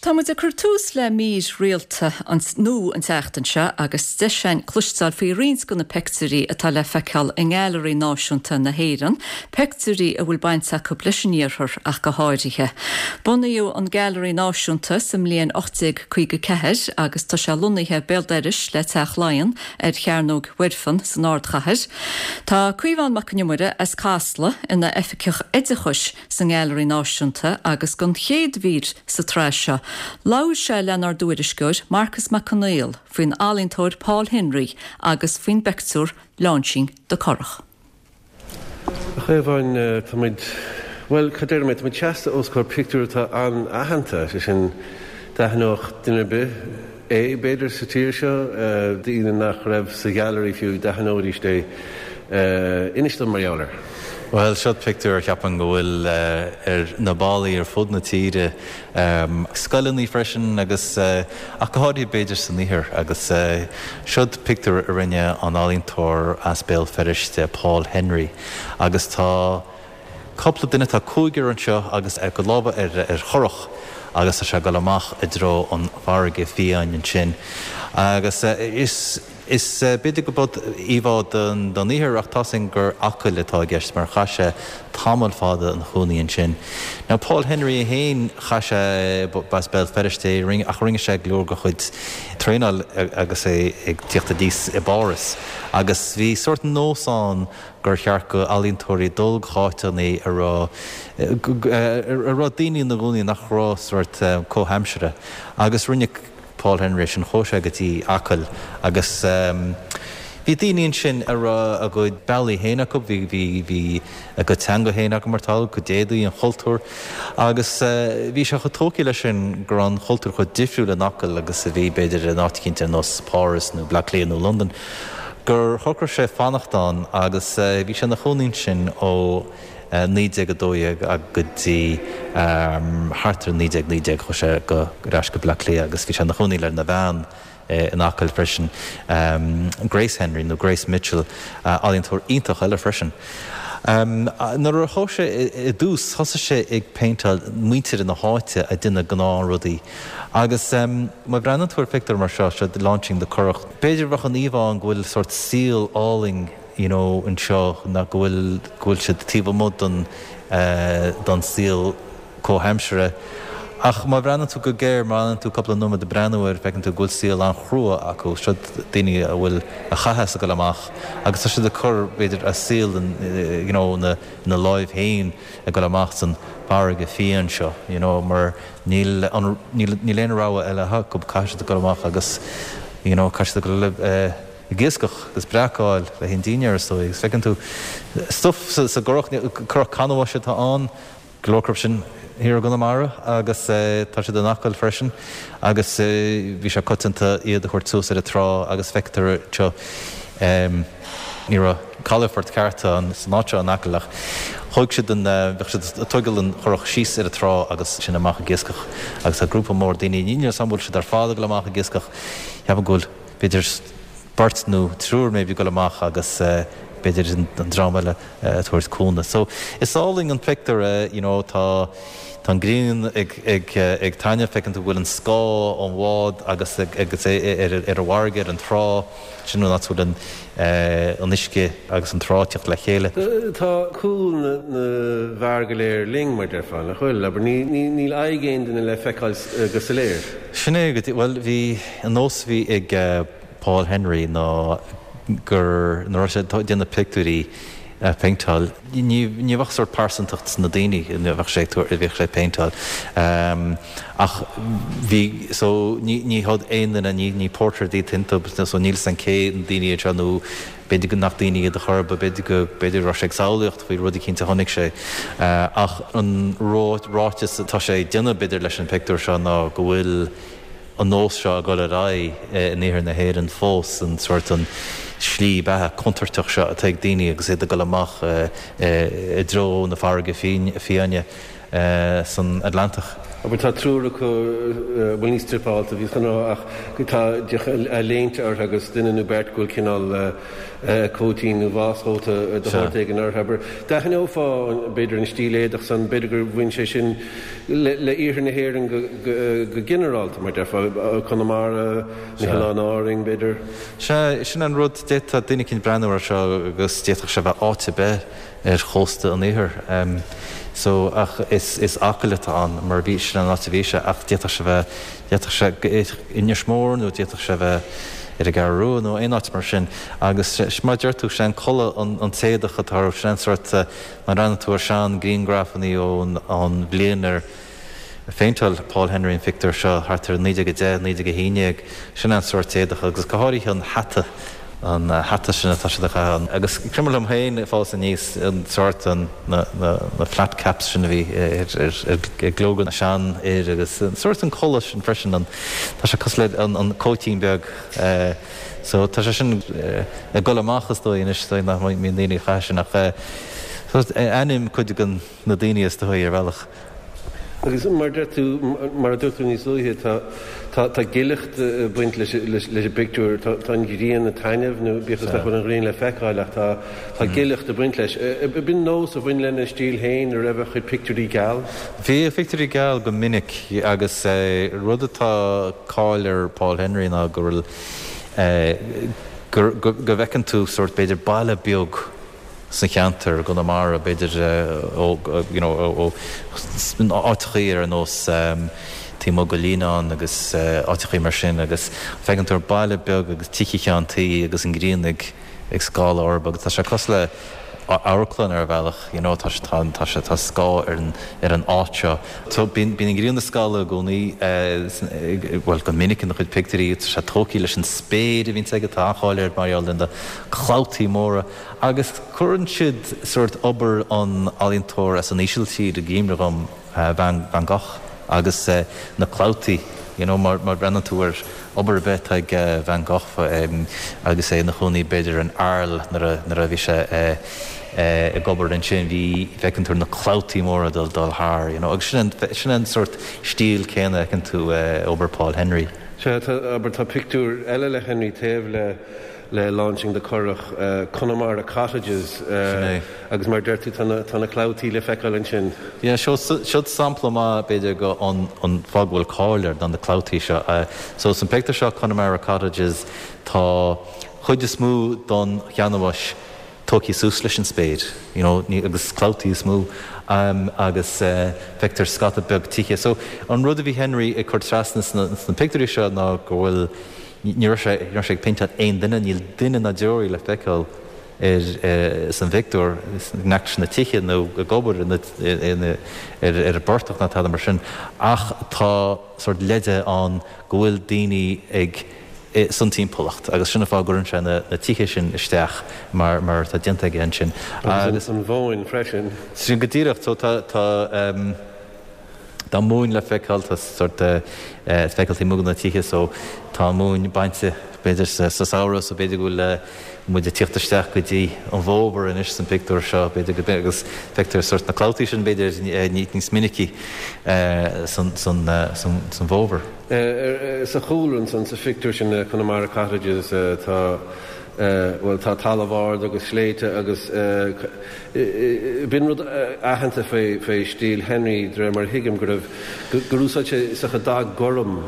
Tá muid ag cur tús le mír rialta nua an tseachtain seo agus deis againn cloisteáil faoi roinnt de na peictiúirí atá le feiceáil i nGailearaí Náisiúnta na hÉireann, peictiúirí a bhfuil baint acu leis an Iarthar ach go háirithe. Bunaíodh an Gailearaí Náisiúnta sa mbliain 1854 agus tá sé lonnaithe béal dorais le Teach Laighean ar Chearnóg Mhuirfean san ardchathair. Tá Caomhán Mac Con Iomaire as Casla ina Oifigeach Oideachais sa nGailearaí Náisiúnta agus don chéad mhír sa tsraith seo, labhair sé lenár dtuairisceoir Marcas Mac Conghail faoin ealaíontóir Paul Henry agus faoin bpeictiúr Launching the Currach. A Chaomháin, tá muid, bhuel, cad déarfaidh mé, tá muid seasta os comhair pictiúr atá an-aitheanta, sé sin, d'aithneodh duine ar bith é, b'fhéidir, sa tír seo, daoine nach raibh sa ghailearaí fiú, d'aithneoidís é. Inis dom mar gheall air. Bhuel, seo pictiúr a cheapaim go bhfuil ar na ballaí ar fud na tíre, scoileanna freisin agus, ach go háirithe b'fhéidir san Iarthar agus seod pictiúr a rinne an ealaíontóir as Béal Feirste, Paul Henry agus tá cúpla duine, tá cúigear anseo agus a gcuid lámha ar churach agus tá sé ag dul amach i dtreo an farraige fiáin ansin agus is. Is b'fhéidir go b'eod íomhá don Iarthar ach tá's againn gur Acaill atá i gceist mar chaith sé tamall fada ina chónaí ansin. Now Paul Henry é féin, chaith sé, b'as Béal Feirste é ach rinne sé go leor de chuid traenáil agus é ag tíocht aníos i bPáras agus bhí sórt nós ann gur cheart go ealaíontóirí dul go háiteanna a raibh a raibh daoine ina gcónaí nach raibh sórt comhaimseartha agus rinne Paul Henry sin, chuaigh sé go dtí Acaill agus bhí daoine ansin a raibh a gcuid bealaí féin acu, bhí, bhí, bhí a gcuid teanga féin acu mar tá, a gcuid éadaí, an chultúr agus bhí sé chomh tógtha leis sin go raibh an chultúr chomh difriúil in Acaill agus a bhí b'fhéidir in áit eicínt ar nós Páras nó Bleá Cliath nó Londain gur shocraigh sé fanacht ann agus bhí sé ina chónaí ansin ó 1912 go dtí thart ar 1919 chuaigh sé go ar ais go Bleá Cliath agus bhí sé ina chónaí lena bhean in Acaill freisin, Grace Henry nó Grace Mitchell, ealaíontóir iontach eile freisin. Nuair a chuaigh sé i dtús thosaigh sé ag péinteáil muintir na háite ag déanamh gnáthrudaí agus má bhreathnaíonn tú ar phictiúr mar seo, seo Launching the Currach, b'fhéidir bheadh an íomhá ann go bhfuil sórt saol álainn you know anseo ná go bhfuil, go bhfuil siad taobh amuigh don, don saol comhaimseartha. Ach má bhreathnaíonn tú go géar, má fhanann tú cúpla nóiméad ag breathnú air, feiceann tú go bhfuil saol an-chrua acu. Seo daoine a bhfuil a chaitheas ag dul amach agus tá siad ag cur, b'fhéidir, a saol in, you know, ina, ina láimh féin ag dul amach san farraige fiáin seo, you know, mar níl an, níl, níl aon rogha eile acu, caithfidh siad dul amach agus, you know, caithfidh siad dul, eh, ag iascach agus breac a fháil le haghaidh an dinnéar is dóigh agus feiceann tú stuif sa gcurach, curach canbháis atá ann, go leor acu sin thiar i gConamara agus tá siad in Acaill freisin agus bhí sé coitianta iad a thabhairt suas ar an trá agus feictear anseo ní raibh calafort ceart ann san áit seo in Acaill ach thóg siad an, bheadh siad ag tógáil an churach síos ar an trá agus sin amach ag iascach agus tá grúpa mór daoine, níl a fhios agam an bhfuil siad ar fad ag dul amach ag iascach, ceapaim go bhfuil. b'fhéidir beirt nó triúr maybe ag dul amach agus b'fhéidir an dream eile ag tabhairt cúnamh. So is álainn an pictiúr é, you know, tá tá an ghrian ag ag ag taitneamh, feiceann tú go bhfuil an scáth ón bhád agus agus é ar ar an bhfarraige, ar an trá, sin an áit a bhfuil an an uisce agus an trá ag teacht le chéile. Tá cúl na na bhfear go léir linn, mar déarfá, nach bhfuil? Abair, ní ní níl aghaidh aon duine le feiceáil go soiléir. Sin é go dtí, bhuel, bhí. An nós a bhí ag Paul Henry ná gur, nuair a raibh sé ag déanamh pictiúirí, a phéinteáil, ní ní bheadh sórt pearsantacht sna daoine a bheadh sé ag tabhairt, a bhíodh sé ag péinteáil. Ach bhí, so ní ní hiad aon duine, ní ní portrait iad iontu, so níl 'fhios a'm cé na daoine iad seo nó b'fhéidir go nach daoine iad a chor ar bith, b'fhéidir go, b'fhéidir go raibh sé ag samhlaíocht faoi rud eicínt a chonaic sé. Ach an ráiteas atá sé ag déanamh b'fhéidir leis an pictiúr seo ná go bhfuil, an nós seo ag dul ar aghaidh in iarthar na hÉireann fós, an sórt, an slí beatha contúirteach seo atá ag daoine agus iad ag dul amach i dtreo na farraige fiáine san Atlantach. Abair, tá triúr acu, bhuel ní struipeáilte, bhíos chun a rá, ach tá léinte orthu agus duine nó beirt go bhfuil cineál cóitín nó váschóta de shórt éigin orthu. Abair, d'aithneofá b'fhéidir an stíl éadach san, b'fhéidir gur bhain sé sin le iarthar na hÉireann go ginearálta, mar déarfá, Conamara, na hOileáin Árainn, b'fhéidir. Sea, sin an rud, d'fhéadfadh duine éicint breathnú air seo agus d'fhéadfadh sé bheith áit ar bith ar chósta an iarthair. So, ach is, is Acaill atá ann mar bhí, sin an áit a bhí sé ach d'fhéadfadh sé bheith, d'fhéadfadh sé Inis Mór nó d'fhéadfadh sé bheith ar an gCeathrú Rua nó aon áit mar sin. Agus mar a deir tú, sé an culaith, an, an t-éadach atá orthu, sin an sórt, má bhreathnaíonn tú ar sean griangrafannaí ón, ón bhliain ar, Phéinteáil Paul Henry an phictiúr seo thart ar 1910, 1911. Sin an sórt éadach agus go háirithe an hata, an hata sin atá siad a chaitheamh. Agus cuimhin liom féin ag fás aníos an sórt, na flat caps sin a bhí ar ghlóga na seanfhir agus an sórt an culaith sin freisin, an, tá sé cosúil le an cóitín beag. So tá sé sin ag dul amach is dóigh anois, is dóigh nach mbíonn daoine ag caitheamh sin ach ainm cuid de na daoine is dóigh ar bhealach. Agus mar a deir tú, mar a dúirt tú níos luaithe, tá, tá, tá gileacht ag baint leis, leis, leis an bpictiúr. Tá, tá an ghrian ag taitneamh, nó bíodh is nach bhfuil an ghrian le feiceáil ach tá, tá gileacht ag baint leis. B'in nós a bhain lena stíl féin, a raibh a chuid pictiúirí geal? Bhí a phictiúirí geal go minic agus rud atá cáil ar Paul Henry ná go bhfuil, gur, go, go bhfeiceann tú sórt b'fhéidir baile beag, sa cheantar, i gConamara, b'fhéidir ó you know ó áiteachaí ar nós taobh amuigh de Líonán agus áiteachaí mar sin agus feiceann tú baile beag agus tithe ceann tuí agus an ghrian ag ag scalladh orthu agus tá sé cosúil le amharclann ar bhealach you know tá sé tá tá sé tá scáth ar an ar an áit seo. So bíonn bíonn an ghrian ag scalladh i gcónaí bhuel go minic ina chuid pictiúirí tá sé tógtha leis an spéir a bhíonns aige tá an-cháil air mar gheall ar na clabhtaí móra Agus cuireann siad sórt obair an ealaíontóir as an Ísiltír i gcuimhne dhom, Van Van Gogh, agus na clabhtaí, you know, má bhreathnaíonn tú ar obair ar bith atá ag Van Gogh agus é ina chónaí b'fhéidir in Arles nuair a nuair a bhí sé ag obair ansin, bhí, feiceann tú na clabhtaí móra ag dul dul thar, you know, agus sin an sin an sórt stíl céanna a fheiceann tú i obair Paul Henry. Sea, tá, abair, tá pictiúr eile le Henry taobh le le Launching the Currach, Connemara Cottages agus mar a deir tú tá na clabhtaí le feiceáil ansin. Yeah, seo, siod sampla maith b'fhéidir go an an fáth go bhfuil cáil air ná na clabhtaí seo. So san pictiúr seo Connemara Cottages tá chuid is mó don cheanannais tógtha suas leis an spéir, you know, ní, agus clabhtaí is mó agus feictear scata beag tithe. So an rud a bhí Henry ag cur trasna sna sna pictiúirí seo ná go bhfuil Ní raibh sé, ní raibh sé ag péinteáil aon duine, níl duine ná deoraí le feiceáil ar, san phictiúr, in aice leis na tithe nó ag obair ina, ina, ar, ar an bportach ná tada mar sin. Ach tá sórt leide ann go bhfuil daoine ag, san timpeallacht agus sin an fáth a gcuireann sé na, na tithe sin isteach mar, mar atá déanta aige ansin. Agus an mhóin freisin. Sin go díreach. So tá, tá. Tá móin le feiceáil, tá sórt le feiceáil taobh amuigh de na tithe so tá an mhóin bainte b'fhéidir sa samhradh so b'fhéidir go bhfuil muid ag tíocht isteach go dtí an bhfómhar anois san pictiúr seo b'fhéidir go agus feictear sórt na clabhtaí sin b'fhéidir níos minicí san san bhfómhar. Sa chúlra ansan sa phictiúr sin Connemara Cottages tá bhuel tá talamh ard agus sléibhte agus B'in rud aitheanta faoi stíl Henry, de réir mar a thuigim, go raibh, gur úsáid sé is dócha dath gorm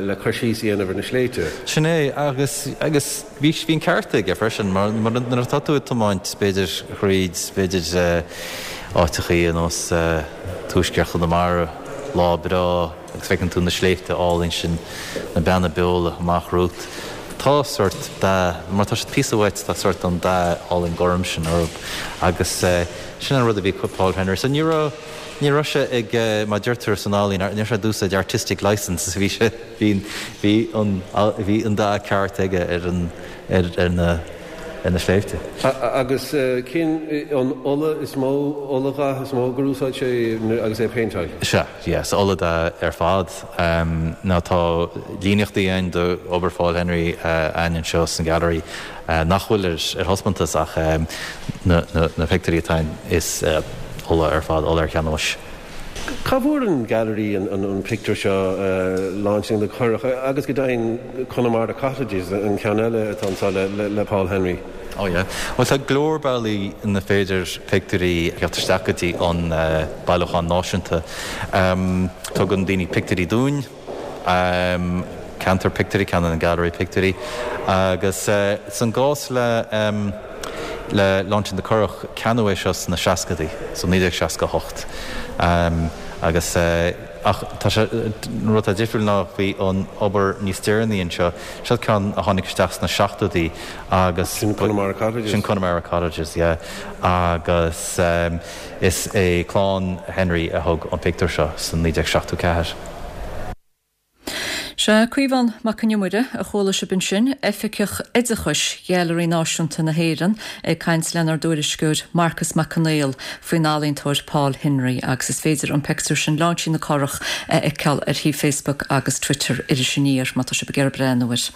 le cur síos a dhéanamh ar na sléibhte. Sin é, agus, agus bhí, bhí an ceart aige freisin, mar, mar nuair atá tú ag tiomáint, b'fhéidir, thríd, b'fhéidir, áiteachaí ar nós Tuaisceart Chonamara, lá breá, agus feiceann tú na sléibhte álainn sin, na Beanna Beola amach romhat. Tá sórt dath, mar tá siad píosa uait, tá sórt an dath álainn gorm sin orthu. Agus sin an rud a bhí ag Paul Henry. So ní raibh, ní raibh sé ag, mar deirtear san ealaín, ní raibh sé ag úsáid artistic licence, bhí sé, bhí, bhí an, bhí an dath ceart aige ar an, ar, ar na, ar na sléibhte. Agus cén an ola is mó, oladhath is mó gur úsáid sé agus é ag péinteáil? Sea. Yes, oladhath ar fad. Now tá líníochtaí againn d'obair Phaul Henry againn anseo san Gallery nach bhfuil ar thaispeántas ach na pictiúirí atá ann is ola ar fad, ola ar cheanbhais. Cá bhfuair an Gailearaí an pictiúr seo, Launching the Currach, agus go deimhin Connemara Cottages, an ceann eile atá anseo le Paul Henry? Oh yeah. Bhuel tá go leor bealaí ina féidir pictiúirí a theacht isteach go dtí an Bailiúchán Náisiúnta. Tugann daoine pictiúirí dúinn, ceannaítear pictiúirí, ceannaíonn an Gailearaí pictiúirí agus san gcás le le Launching the Currach, ceannaíodh é seo sna seascadaí, so 1968 agus ach tá sé, an rud atá difriúil ná faoi an obair níos deireanaí anseo, seo ceann a tháinig isteach sna seachtóidí agus. Sin Connemara Cottages. Sin Connemara Cottages, yeah. Agus is é clann Henry a thug an pictiúr seo san 1974. Sea, Caomhán Mac Con Iomaire a chuala sibh ansin, Oifigeach Oideachais Ghailearaí Náisiúnta na hÉireann, ag caint lenár dtuairisceoir Marcas Mac Conghail faoin ealaíontóir Paul Henry agus is féidir an pictiúr sin, Lainsean na Currach, a fheiceáil ar shuíomh Facebook agus Twitter Iris Aniar má tá sibh ag iarraidh breathnú air.